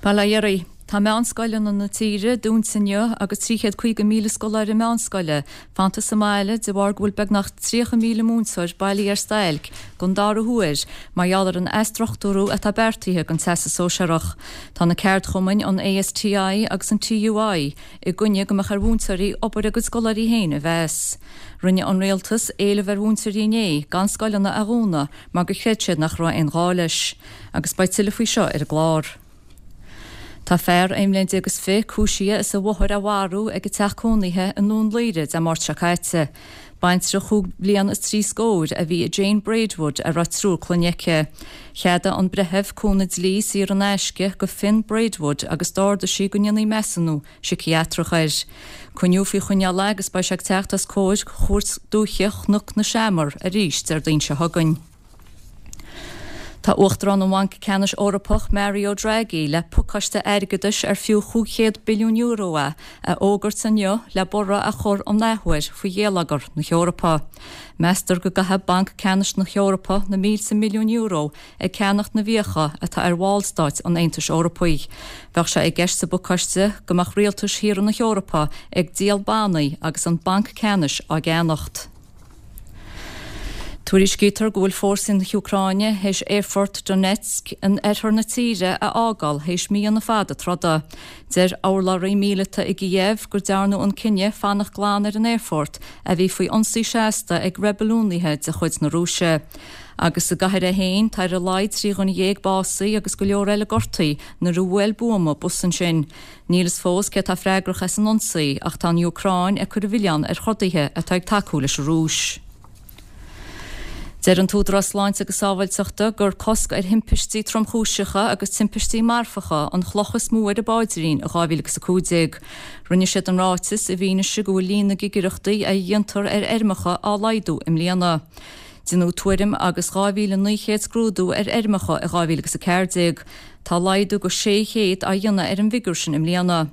Bail ó Dhia oraibh. Tá meánscoileanna na tíre dúnta inniu agus 350,000 scoláire meánscoile fanta sa mbaile de bharr go bhfuil beagnach 30,000 múinteoir bailithe ar stailc don dara huair mar gheall ar an athstruchtúrú atá beartaithe don Teastas Sóisearach. Tá na ceardchumainn, an ASTI agus an TUI, i gcoinne go mbeadh ar mhúinteoirí obair a gcuid scoláirí féin a mheas. Rinne an Rialtas éileamh ar mhúinteoirí inné gan scoileanna a dhúnadh mar gur chreid siad nach raibh aon ghá leis. Agus beidh tuilleadh faoi seo ar an gclár. Tá fear 21 mbliain is 20 cúisithe as a mháthair a mharú ag a teach cónaithe i nDún Laoghaire Dé Máirt seo caite. Baintreach chúig bhliana is trí scóir a bhí i Jane Braidwood a raibh triúr clainne aici. Cheadaigh an breitheamh cúnamh dlí saor in aisce go Finn Braidwood agus d'ordaigh sí go ndéanfaí measúnú síciatrach air. Coinníodh faoi choinneáil é agus beidh sé ag teacht os comhair Chúirt Dúiche Chnoc na Seamar arís Déardaoin seo chugainn. Tá Uachtarán an Bhainc Ceannais Eorpach Mario Draghi le pacáiste airgeadais ar fiú €500 billiún é a fhógairt inniu le borradh a chur an athuair faoi gheilleagar na hEorpa. Meastar go gcaithfidh Banc Ceannais na hEorpa na mílte milliún euro ag ceannacht na bhfiacha atá ar bhallstáit an Aontais Eorpaigh. Bheadh sé i gceist sa bpacáiste go mbeadh rialtais thíortha na hEorpa ag díol bannaí agus an Banc Ceannais á gceannacht. Tuairiscítear go bhfuil fórsaí na hÚcráine théis aerfort Donetsk in oirthear na tíre a fhágáil théis míonna fada troda. Deir urlabhraí míleata i gCíév gur dearnadh an cinneadh fanacht glan ar an aerfort a bhí faoi ionsaí seasta ag reibiliúnaithe de chuid na Rúise. Agus sa gcathair é féin, tá ar a laghad 13 dhuine básaithe agus go leor eile gortaithe nuair a bhuail buama bus ansin. Níl fhios fós cé atá freagrach as an ionsaí ach tá an Úcráin ag cur an mhilleáin ar throdaithe atá ag tacú leis an Rúis. Deir an tÚdarás Sláinte agus Sábháilteachta gur cosc ar thimpistí tromchúiseacha agus timpistí marfacha an chloch is mó ar a bpáidrín i 2015. Rinne siad an ráiteas i bhfianaise go bhfuil líon na gcigireachtaí a dhéantar ar fheirmeacha á laghdú i mbliana. Deineadh tuairim agus 2,900 scrúdú ar fheirmeacha i 2014. Tá laghdú go 600 á dhéanamh ar an bhfigiúr sin i mbliana.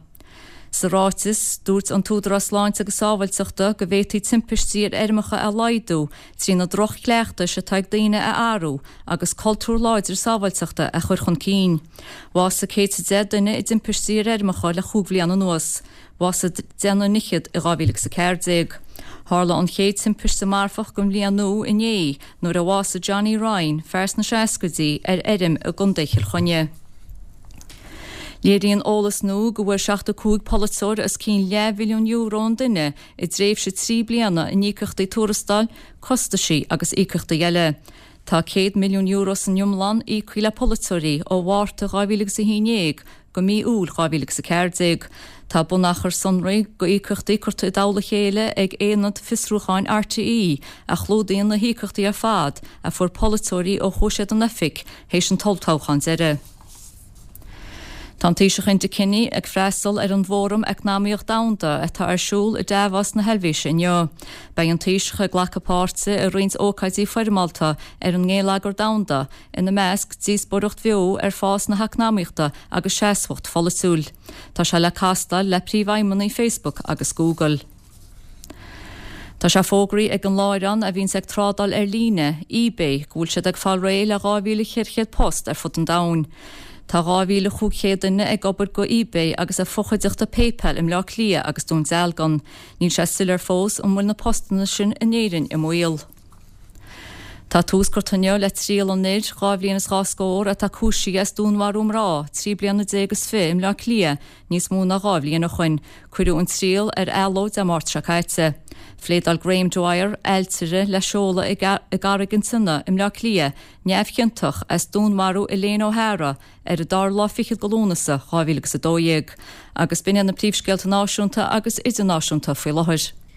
Sa ráiteas, dúirt an tÚdarás Sláinte agus Sábháilteachta go bhféadfaí timpistí ar fheirmeacha a laghdú trí na droch-chleachtais atá ag daoine a athrú agus cultúr láidir sábháilteachta a chur chun cinn. Bhásaigh 110 duine i dtimpistí ar fheirmeacha le chúig bhliain anuas. Bhásaigh deichniúr fhichead i 2014. Tharla an chéad timpiste marfach den bhliain nua inné nuair a bhásaigh Johnny Ryan, fear sna seascaidí, ar fheirm i gContae Chill Chainnigh. Léiríonn eolas nua go bhfuair 75 polaiteoir os cionn leathmhilliún euro an duine i dtréimhse 3 bliana in íocaíochtaí tuarastail, costaisí agus íocaíochtaí eile. Tá €100 milliún san iomlán íoctha le polaiteoirí ó Mhárta 2011 go mí Iúil 2014. Tá bunachar sonraí d'íocaíochtaí curtha i dtoll a chéile ag Aonad Fiosrúcháin RTÉ a chlúdaíonn na híocaíochtaí ar fad a fuair polaiteoirí ó chuaigh siad in oifig théis an t-olltoghchán deiridh. Tá an Taoiseach Enda Kenny ag freastal ar an bhFóram Eacnamaíoch Domhanda atá ar siúl i Davos na hEilvéise inniu. Beidh an Taoiseach ag glacadh páirte i roinnt ócáidí foirmeálta ar an ngeilleagar domhanda, ina measc, díospóireacht bheo ar fás na heacnamaíochta agus seasmhacht pholaitiúil. Tá sé le castáil le príomhfheidhmeannaigh Facebook agus Google. Tá sé fógraithe ag an láithreán a bhíonns ag trádáil ar líne, eBay, go bhfuil siad ag fáil réidh le 2,400 post ar fud an domhain. Tá 2,500 duine ag obair go eBay agus a fochuideachta PayPal i mBleá Cliath agus Dún Dealgan. Níl sé soiléir fós an bhfuil na postanna sin in Éirinn i mbaol. Tá tús curtha inniu le triail an fhir, 2 bhliain is 2 scór, atá cúisithe as dúnmharú mná, 13 bliana is 20 i mBleá Cliath níos mó ná 2 bhliain ó shoin. Cuireadh an triail ar athló Dé Máirt seo caite. Phléadáil Graham Dwyer, ailtire le seoladh i gCarraig an tSionnaigh i mBleá Cliath, neamhchiontach as dúnmharú Elaine O'Hara ar an dara lá fichead de Lúnasa 2012. Agus b'in iad na príomhscéalta náisiúnta agus idirnáisiúnta faoi láthair.